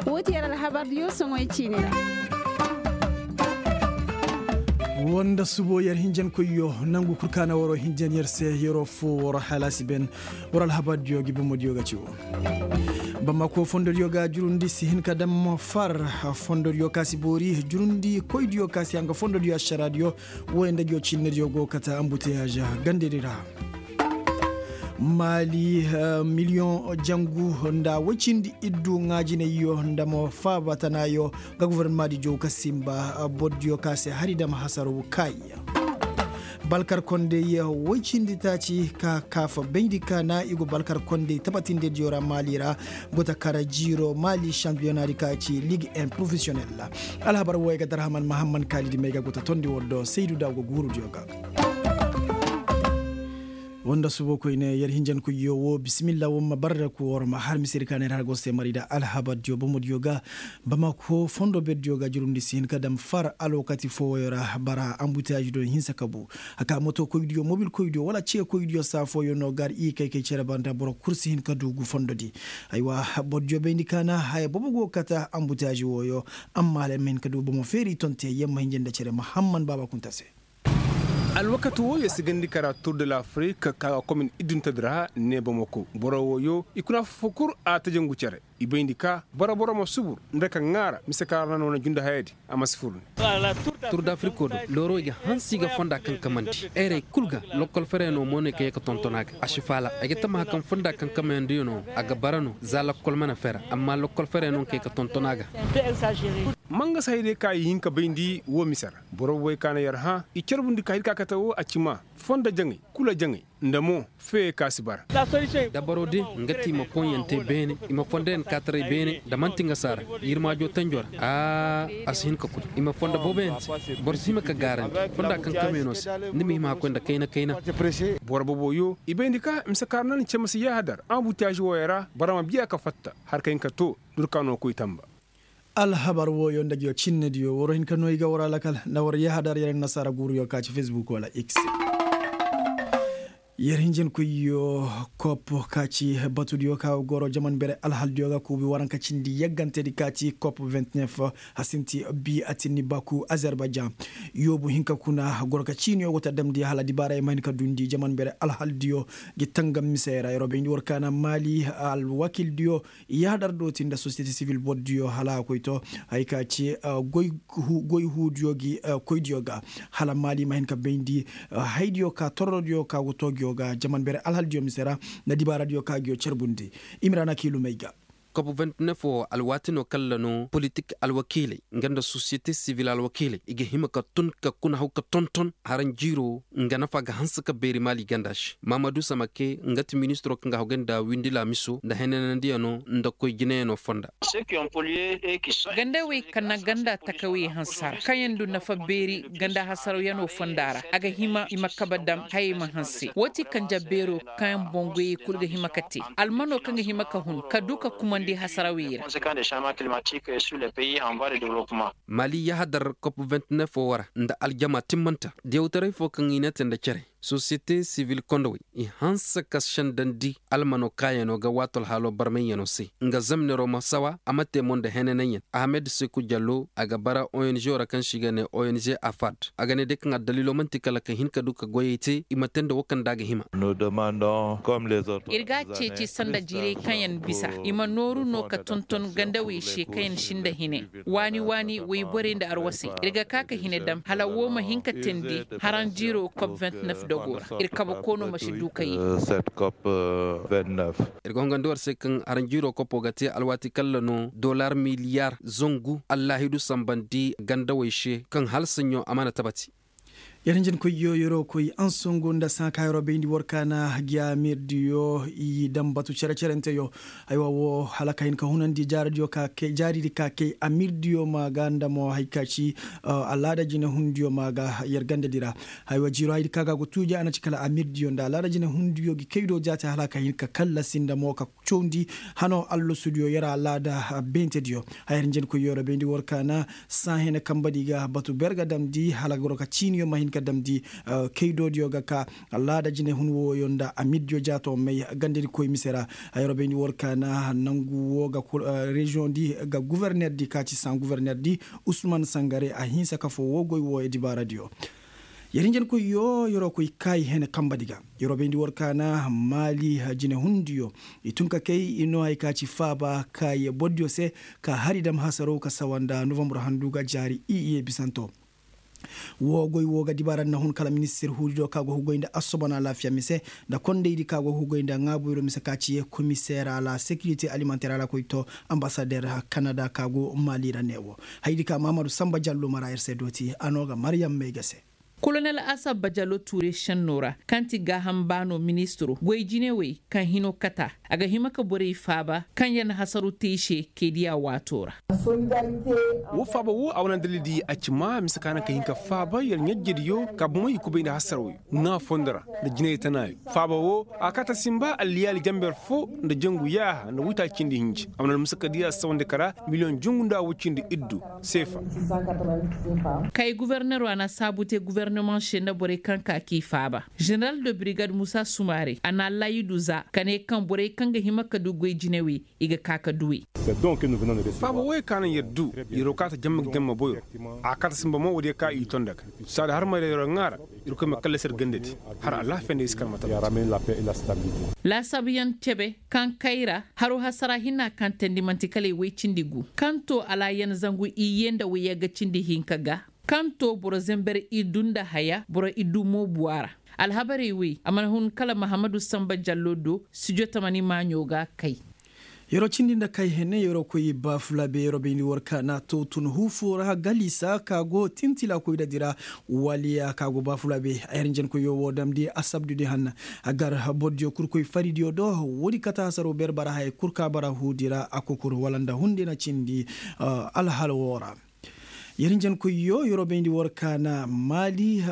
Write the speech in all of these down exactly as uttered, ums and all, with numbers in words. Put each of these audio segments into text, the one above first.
Wo ti yer alhabar diyo soŋoy ciini ra. Wanda subo yer hinjankoyyo nangu kul kaŋ a na waroo hinjan yer se yeroo foo waroo halaasi ben. Waroo alhabar diyo gi bomo diyo ga ci wo. Bamako fondo diyo ga jurundi si hin ka dam far. Fondo diyo ka si boori jurundi koy diyo ka si hanga fondo diyo ašara diyo. Wo nda gi wo cinne diyo go kata ambuteyaaza gande di ra. Maali miliyoŋ jangu nda woy cindi iddu ŋaajinayyo nda mo faaba tanaayo ga gofornamaadi jow ka simba. Bordiyo ka se hari dam hasaraw kaayi. Balkar kondey woy cindi taaci ka kaafa bayndi kaana i go balkar kondey tabatindediyo ra maali ra. Gota kara jiiro maali šampiyonaadi ka ci liig en porofesiyonel. Alhabar wooyo ga darhaman mahamman kaalidi may ga gota tondi woo do saydu da go guurudiyo ga. Woo nda subo koyne yer hinjankoyyo woo bisimilla woo ma barre ku war ma har misiri ka na ir har go se mari nda alhabardiyo bomodiyo ga. Bamako fondo berdiyo ga jurundi si hin ka dam far alwakati fooyo ra bara anbutiyaazidiyo hinsa ka bu. Haka motokoydiyo mobilkoydiyo wala ceekoydiyo saa fooyo no gar i kay kay cere banda boro kul si hin ka du gu fondodi. Aywa, bordiyo bayndi kaana haya bobo go kata anbutiyaazi wooyo. Amma hala ir ma hin ka du bomo feeri tonte yer ma hinja nda cere mahamman baaba kunta se. Alwakati wooyo si gandi kara tur de lafirik ka ga komin iddunta di ra ne bamako boro wooyo i kuna fo kul a ta jangu cere. I bayndi ka boro boro ma subur nda ka ŋaara mise ka ra na no na junda hayadi. A ma si fur ne. Tur de afiriko do looro i ga hanse i ga fonda kankamandi. Erey kul ga lokkol ferey no mo no i ka ye ka tonton a ga a si faala ay ga tammaha kaŋ fonda kankamayandiyo no a ga bara no za lokkol mana fera amma lokkol ferey no nga ka ye ka tonton a ga. Mangasa hayadiyo ka i hin ka bayndi woo mise ra boro bobey ka na yer hã i carbundi ka hin ka kate woo a ci maa fondo jaŋay kula jaŋay nda mo feyey ka si bara. Dabaro din nga ti i ma poŋyaŋ te beene i ma fondoyaŋ kaataray beene nda man'ti nga saara yirmaajo tanjo ra. A si hin ka koy i ma fondo booboyaŋ te boro si hima ka gaarandi fonda kaŋ kameeno se. Ni ma hima hakkoy nda kayna kayna. Boro booboyo i bayndi ka mise kaŋ ra na ni cema si yahadar anbutiyaazi wooyo ra boro ma biya ka fatta har ka hin ka too durkaano koy tamba. Alhabar wooyo nda ngiyo cinnediyo war hin ka no i ga war alakal nda war yahadar yer nasaara guuruyo ka ci fesbuk wala x. Yer hinjankoyyo kop ka ci batudiyo ka goro jaman bere alhaldiyo ga kuubi waranka cindi yaggantedi ka ci kop vingt-neuf. Hasinti bi atinni baku azerbajan yoobu hinka kuna goro ka ciiniyo go ta damndi hala dibaaray ma hin ka duundi jaman bere alhaldiyo gi tangam misey ra yeroo bayndi war kaana maali alwakildiyo. Yahadar do ti nda sosiyete sivil bordiyo hala a koy to. Hay ka ci goy huudiyo gi koydiyo ga hala maali ma hin ka bayndi haydiyo ka torrodiyo ka go to ngiyo ga jaman bere alhaldiyo mise ra nda dibaaradiyo ka ngiyo carbundi. Imiraana kiilumey ga. Kop vingt-neuf wo alwaati no kaŋ ra no politik alwakiiley nga nda sosiyete sivil alwakiiley i ga hima ka tun ka kuna haw ka tonton haranjiiro nga nafa ga hanse ka beeri maali ganda se maamadu samake nga ti ministiro kaŋ ga haw ga nda windi laamiso nda henanandiyano nda koy jinayano fonda. Gandawey kaŋ na ganda takawey hansara kaŋ yaŋ du nafa beeri ganda hasarawyano fonda ra a ga hima i ma kabe dam hayey ma hanse woo ti kanja beero kaŋ boŋ goyey kul ga hima ka te almano kaŋ ga hima ka hun ka du ka kumandi hasarawey ra. Mali yahadar kop vingt-neuf wo ra nda aljama timmanta diyawtaray fo kaŋ i ne te nda cere sosiyete sivil kondowey i hanse ka sendandi almano kaayano ga waato alhaalo barmayyano se nga zamnero ma sawa a ma te mo nda henananyan ahamed seku jallo a ga bara ong ra kaŋ se i ga ne ong afad. A ga ne day kaŋ addaliilo man'ti kala ka hin ka du ka goyey te i ma te nda wo kaŋ nda a ga hima. Ir ga a ceeci sanda jiirey kaŋ yaŋ bisa i ma nooru no ka tonton gandawey se kaŋ yaŋ si nda hine waani waani wayborey nda arwasey ir ga ka ka hine dam hala woo ma hin ka teendi haranjiiro kop vingt-neuf dogo ra. Ir kabe koono ma si du ka ye. Ir ga hongandi war se kaŋ haranjiiro kopo ga te alwaati kalla no dollar miliyar zangu allaahidu sambandi gandawey se kaŋ hala saɲɲo a mana tabati. Yer hinjinkoyyo yeroo koy ansongo nda saŋa ka yeroo bayndi war kaana gi amirdiyo i daŋ batu cere-cerenteyo. Aywa woo hala ka hin ka hunandi jaaridi ka kay amirdiyo ma ga nda mo hari ka ci alaada jinehundiyo ma ga yer gandedi ra. Aywa jiiroo hayadi ka ga go tuuji a na ci kala amirdiyo nda alaada jinehundiyo gi kay do jaate hala ka hin ka kallasi nda mo ka cawndi hano allasudiyo yer alaada beentediyo. Haya hinjankoyyo ra bayndi war kaana saahinay kambedi ga batu ber ga damndi hala goro ka ciiniyo ma hin. damdi kaydoodiyo ga ka laada jinehun wooyo nda amiddiyo jaato may gandadi koy mise ra. Yerwa bayndi war ka na nangu woo ga reziyoŋ di ga guverner di ka ci san guverner di usman sangare a hinsa kafoo woo goy wooyo dibaaradiyo. Yer hinjankoyyo yerwa koy kaayi hene kambadi ga. Yerwa bayndi war ka na maali jinehundiyo i tun ka kay i noo hay ka ci faaba kaayi bordiyo se ka hari dam hasaroo ka sawa nda novambre handu ga jaari i iye bisanto. Woo goy woo ga dibaara na hun kala ministir huudido ka go hugoy nda assobon alaafiya mise nda kondaydi ka go hugoy nda ŋaaboyro mise ka ci komiseer a la sekirite alimenter a la koy to ambasader kanada ka go maali ra ne wo. Hayadi ka mahamadu samba jallo mara yer se dooti a no ga maryam may ga se. Kolonel asab bajalo tuure šennoo ra kaŋ ti gaaham baanoo ministiroo goy jinewey kaŋ hinoo kata a ga hima ka borey faaba kaŋ yer na hasaru te i se kay diya waatoo ra. Woo faaba woo a wane dalildi a ci maa mise ka naŋ ka hin ka faaba yer ɲajjediyo ka bomey i kubay nda hasarawey ŋaa fondo ra nda jinay tanaayo. Faaba woo a kaata sinba alliyaali janber foo nda jangu yaaha nda waytaaci cindi hinja a wane almusakadiya sawandi kara miliyoŋ jangu nda woy cindi iddu seefa. Kay guverneroo a na saabu te guverneman se nda borey kaŋ ka k'i faaba. Ženeral de birigad muusa sumaare a na allaayidu za ka ne kaŋ borey kaŋ ga hima ka du goy jinawey i ga ka ka duwey. Faaba wooyey ka naŋ yer du yeroo kaata jamma ga jamma boyro. A kaata sinba mo woodiyo ka i tonda ga saada har ma yeroo ŋaara. Irkoy ma kallasi yer gandadi har alaafiya nda i si kar ma tabati. Laasaabuyaŋ cebe kaŋ kay ra haroo hasara hinaa kaŋ teendi man'ti kala i woy cindi gu kaŋ too alaayan zangu iyye nda woyagga cindi hinka ga. Kaŋ too boro zenber iddu nda haya boro iddu mo buwa ra. Alhabarey wey a mana hun kala mahammadu sanba jallo do studio tamani maaɲo ga kay. Yeroo cindi nda kay hene yeroo koy baafulaabe yeroo bayndi war ka na to tun huufoo ra galisa ka go tintila koy dadi ra. Waliya ka go baafulaabe a yer njenkoyoo woo damndi asabdudi hanna. A gar bordiyo kul koy faridiyo do woodi kate hasaroo ber bara haya kul ka bara huudi ra a kokur wala nda hunde na cindi. Alhala woo ra. Yer njenkoyyo yeroo bayndi war ka na maali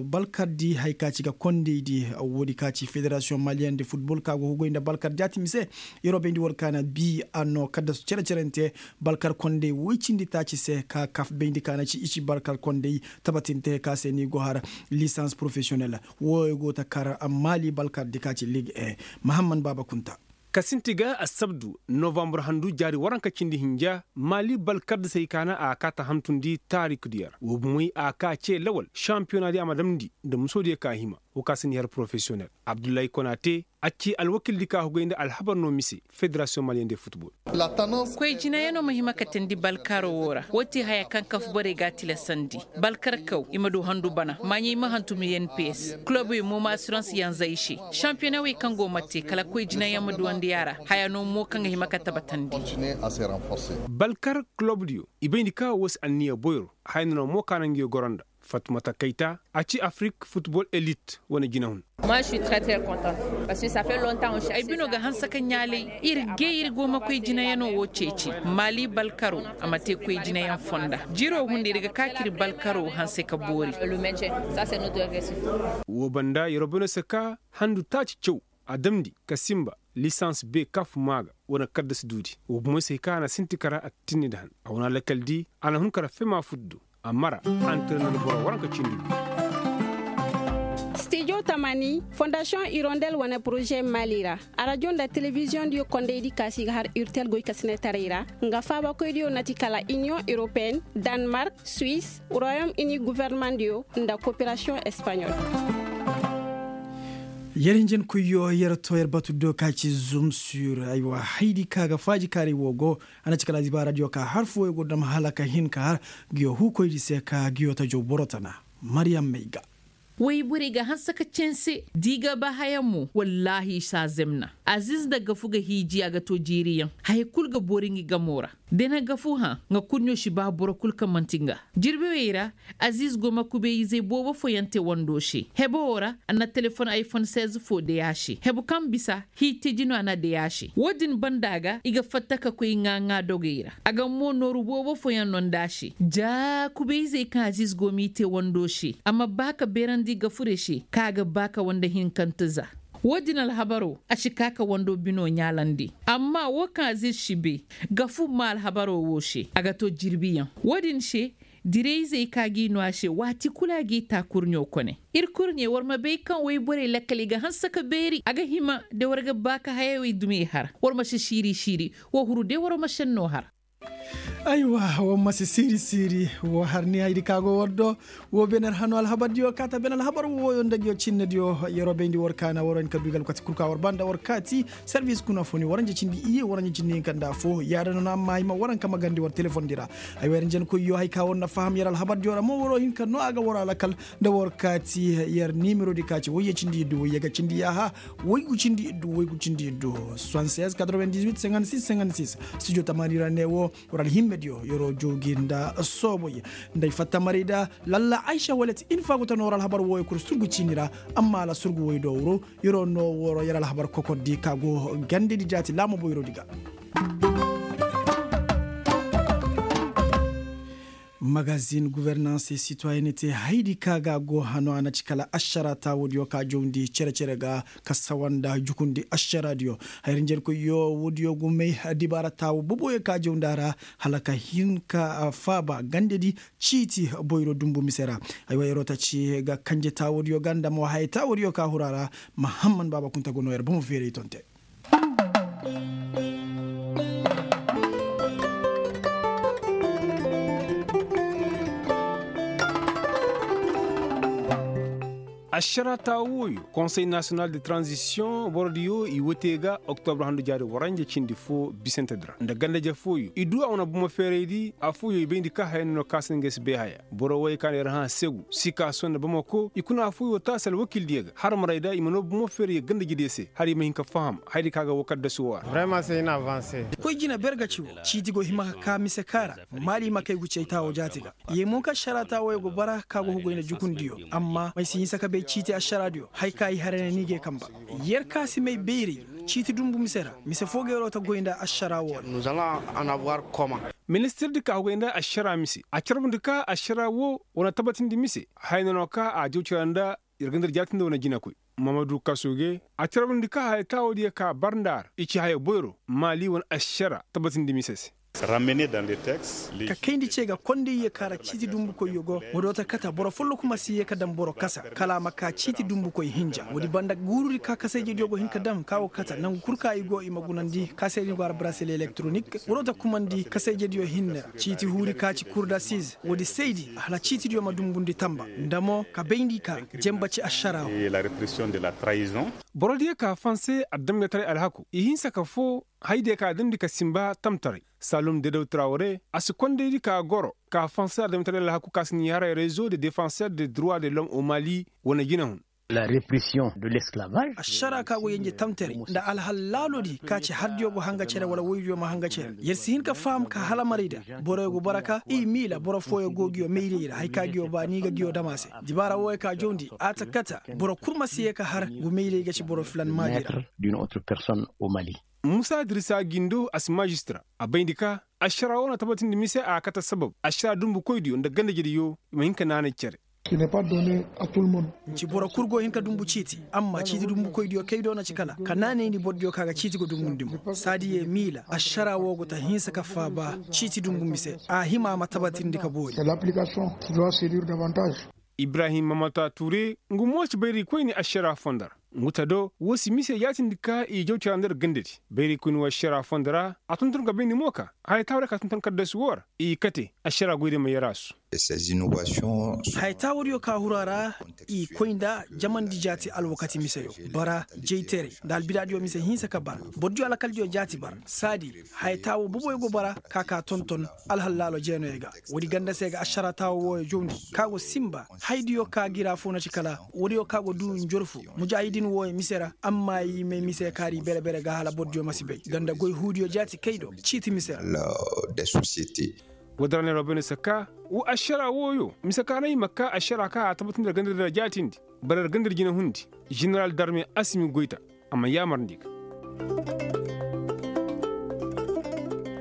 balkardi haya ka ci ga kondaydi. Woodi ka ci federasiyoŋ maliyen de futbol ka go hugoy nda balkardi a ti mise. Yeroo bayndi war ka na bii a noo kaddasu cere-cerente balkar konday woy cindi taaci se ka kaf bayndi ka na ci i ci balkar konday tabatinte ka se ni go har lisans porofesiyonel. Wooyo go ta kar maali balkardi ka ci lig e mahamman baaba kunta. Ka sinti ga assabdu novambar handu jaari waranka cindi hinja maali balkar da se i kaana a kaa ta hantundi taarikdiyo ra woo bumey a kaa cee lawal šampiyonaa di a ma damndi nda musoo diyo ka hima. Woo ka si ni har porofesiyonel abdullahi konate a ci alwakildi ka hugay nda alhabar no mise federasiyoŋ maliyen de futbol. Koy jinayanoo ma hima ka teendi balkaroo woo ra woo ti haya kaŋ kaf borey ga a tilasandi. Balkarkaw i ma du handu bana maaɲey ma hantum n p s kulobey mo ma asirans yanzey se. Šampiyonawey kaŋ go ma te kala koy jinayaŋ ma duwandi a ra haya no mo kaŋ ga hima ka tabatandi. Balkar kulobdiyo i bayndi ka woo si anniya boyro haya no na mo ka na nguyo goro nda. Fatmata kayta a ci afrik futbol elit wane jinahun. Ay bino ga hanse ka ɲaalay ir gay ir go ma koy jinayanoo woo ceeci maali balkaroo. A ma te koy jinayaŋ fonda jiroo hunda ir ga kaa ka ir balkaroo hanse ka boori. Woo banda yeroo bino se ka handu taaci caw a damndi ka sinba lisans be kaf maa ga wane kaddas duudi woo bumey se hay ka a na sinti kara a tinni nda han a wane alakal di a na hun kara fema fut do. A mara antirener boro waranka cindi. Stijo tamani fondasiyoŋ irondel wane poroze maali ra. Arajo nda telebiziyoŋ diyo kondey di kaasi ga har urtel goy ka sinetaray ra nga faabakoy diyo na ti kala iniyoŋ europeyen, danmark, suwis, royom ini governeman diyo nda koperasiyoŋ espaɲol. Yer hinjin koyyo yer to yer batu do ka ci zum sur aywa haydi ka ga faaji kaaray woo go. A na ci kala zibaaradiyo ka har fooyo go dam hala ka hin ka har. Nguyo huukoydi se ka nguyo tajo boro tana. Maryam may ga. Woy borey ga hanse ka canse da i ga ba haya mo wallaahi i si a zemna. Aziiz nda gafu ga hiiji a ga to jiiriyaŋ. Haya kul ga boori ngi gamoo ra. Da na gafu hã nga kul no si ba boro kul kaŋ man'ti nga. Jirbiwey ra aziiz go ma kubeeyizey boobo fooyaŋ te wandoo se hebo woo ra. A na telefon ayfon seize foo day a se hebu kaŋ bisa hii teji no a na day a se woo din banda ga i ga fatta ka koy ŋaa-ŋaa dogey ra. A ga mo nooru boobo fooyaŋ no nda a se ja kubeeyizey kaŋ aziiz go m'i te wandoo se a ma ba ka beerandi gafure se kaŋ a ga ba ka wande hinkante za. Woo din alhabaroo a si kaa ka wandoo binoo ɲaalandi. Amma woo kaŋ aziiz si bay gafu maa alhabaroo woo se a ga to jirbiyaŋ. Woo din se Dirayzey ka g'i no a se waati kulu a g'i taa kurɲo kone. Ir kurɲe war ma bay kaŋ woyborey lakkal i ga hanse ka beeri a ga hima da war ga ba ka hayey wey dumi i har. War ma si siiri siiri. Wo huru day war ma senno har. Aywa, war ma si siiri siiri. Wo har ni haydi ka go war do. Wo bener hano alhabardiyo kaata ben alhabar woyo nda ngiyo cinnediyo yeroo bayndi war kaana war hin ka du i ga alkati kul ka war ba nda war kaati. Servis kuna fo ni waranja cindi iyye waranja cindi hinka nda fo yaada no na amma hay ma waranka magandi war telefondi ra. Ay wayra njenkoyyo hay ka war na faham yer alhabardiyo ra mo waroo hinka no a ga war alakal. Nda war kaati yer nimerodi ka ci wayye cindi iddu wayye ga cindi yaaha. Waygu cindi iddu waygu cindi iddu. Soixante-seize quatre-vingt-dix-huit cinquante-six cinquante-six. Studio tamaani ra ne wo war alhimmediyo yeroo joogi nda sooboy. Nda ay fatta maray da lalla aysa walet in faagu ta no war alhabar wooyo kul surgu ciini ra. Amma ala surgu woy do wuro. Yeroo no woro yer alhabar kokordi ka go gandedi jaati laamo boyrodi ga. Magazin guvernanse sitoyenete haydi ka ga go hano a na ci kala ašara taawodiyo ka jawndi cere-cere ga ka sawa nda jukundi ašaradiyo. Hayrinjerkoyyo woodiyo gumey dibaara taawo boboyo ka jawndi a ra hala ka hin ka faaba gandedi. Ciiti boyro dumbu mise ra. Aywa yeroo ta ci ga kanje taawodiyo ga nda mo haya taawodiyo ka huru a ra. Mahamman baaba kunta go no yer bomo feeray tonte. Ašara taawo wooyo konsey nasiyonal de tranzisiyoŋ borodiyo i wote ga oktobra handu jaari waranja cindi fo bisante di ra nda ganda-je fooyo i du a wane bomo feeraydi affooyo i bayndi ka haya no no kaasandi ngey si bay haya. Boro wooyo ka na yer hã segu sikaaso nda bamako i kuna affooyo taasi alwakildiyo ga har maray da i ma noo bomo feeray ganda-jediyo se hala i ma hin ka faham hayadi ka ga woo kaddasu woo ra. Koy jina ber ga ci woo ciiti go hima ka kaa mise kaa ra. Maali ma kay gu cay taawo jaati ga. Ye mo ka ašara taawooyo go bara ka go hugoy nda jukundiyo. Amma m'ay si hinsa ka bay ciiti ašaraadiyo haya ka i haray ne ni g'ay kamba. Yer ka si may bayray ciiti dumbu mise ra mise foo ga yeroo ta goy nda ašara woo ra. Ministirdi ka hugoy nda ašara mise a carbundi ka ašara woo wane tabatindi mise haya no no ka a jaw cara nda yer ganda yer jaatindi wane jinakoy. Mamadu kasuge a carbundi ka haya taawoodiyo ka bar nda a ra i ci haya boyro maali wane ašara tabatindi mise se. Ka kayndi ce ga kondayyo ka ra ciiti dumbukoyyo go. Woodiyo ta kata boro folloku ma si yee ka daŋ boro kasa kala a ma kaa ciiti dumbukoy hinja woodi banda guurudi ka kasayjediyo go hin ka daŋ ka go kata nangu kul ka i go i ma gunandi kasaydi go a ra braseli elektronik. Woodiyo ta kumandi kasayjediyo hinne ra ciiti huuri ka ci kurdasiz woodi saydi hala ciitidiyo ma dumbundi tamba nda mo ka bayndi ka jenba ci ašara. Borodiyo ka fanse adamyataray alhaku i hinsa ka foo hayadiyo ka damndi ka sinba tamtaray. Salum dedaw trawre a si kondaydi ka goro ka fanse adamyataray alhaku ka si ni haray rezo de defanser de droit de lom o mali. Wane jinahun. Ašara ka go yenje tamtaray nda alhal laalodi ka ci hardiyo go hanga cere wala woydiyo ma hanga cere yer si hin ka faham ka hala maray da. Boroyo go bara ka i miila boro fooyo go nguyo mayray ra haya ka nguyo ba ni ga nguyo dam a se. Dibaara wooyo ka jawndi a ta kata boro kul ma si yee ka har ngu mayray ga ci boro filan maadi ra. Musa dirisa gindo a si maajistira a bayndi ka ašara woo na tabatindi mise a kate sabab ašara dumbukoydiyo nda gandejediyo i ma hin ka naanay cere. Nci boro kul go hin ka dumbu ciiti amma ciiti dumbukoydiyo kay do na ci kala ka naanayndi borodiyo ka ga ciiti go dumbundi mo saadi ye miila ašara woo go ta hinsa ka faaba ciiti dumbu mise a hima a ma tabatindi ka boori. Ibrahim mamata ture ngu mo ci bayraykoyni ašara fondo ra. Ngu ta do woo si mise yaatindi ka i jaw cara nda yer gandadi bayraykoyni woo ašara fondo ra a tonton ka bayndi mo ka haya taawo ra ka tonton kaddasu woo ra i kate ašara goydi ma yer a su. Haya taawodiyo ka huru a ra i koy nda jamandi jaati alwakati miseyo bara jayteray nda albidaadiyo mise hinsa ka bara. Borodiyo alakaldiyo jaati bara saadi haya taawo boboyo go bara ka ka tonton alhallaalo jeenoyo ga. Woodi ganda se ga ašara taawo wooyo jawndi ka go sinba hayadiyo ka gira fo na ci kala woodiyo ka go duu njorfu mujaahidin wooyo mise ra amma i may mise kaari bere-bere ga hala borodiyo ma si bay ganda goy huudiyo jaati kay do ciiti mise ra. Woodi ra neeroo bayndi se ka woo ašara wooyo mise ka no i ma ka ašara ka a tabatindi yer gandadi ra jaatindi bara yer gandadi jinahundi. Ženeral darme asimi goyta a ma yaamarndi ga.